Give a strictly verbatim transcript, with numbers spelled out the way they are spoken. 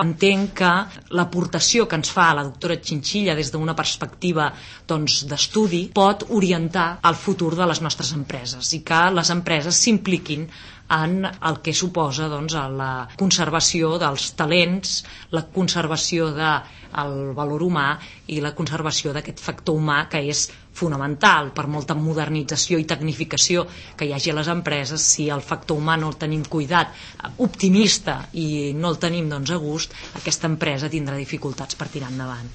Entenc que l'aportació que ens fa la doctora Chinchilla des d'una perspectiva doncs, d'estudi pot orientar el futur de les nostres empreses i que les empreses s'impliquin en el que suposa doncs, la conservació dels talents, la conservació del valor humà i la conservació d'aquest factor humà que és fonamental per molta modernització i tecnificació que hi hagi a les empreses. Si el factor humà no el tenim cuidat, optimista i no el tenim doncs, a gust, aquesta empresa tindrà dificultats per tirar endavant.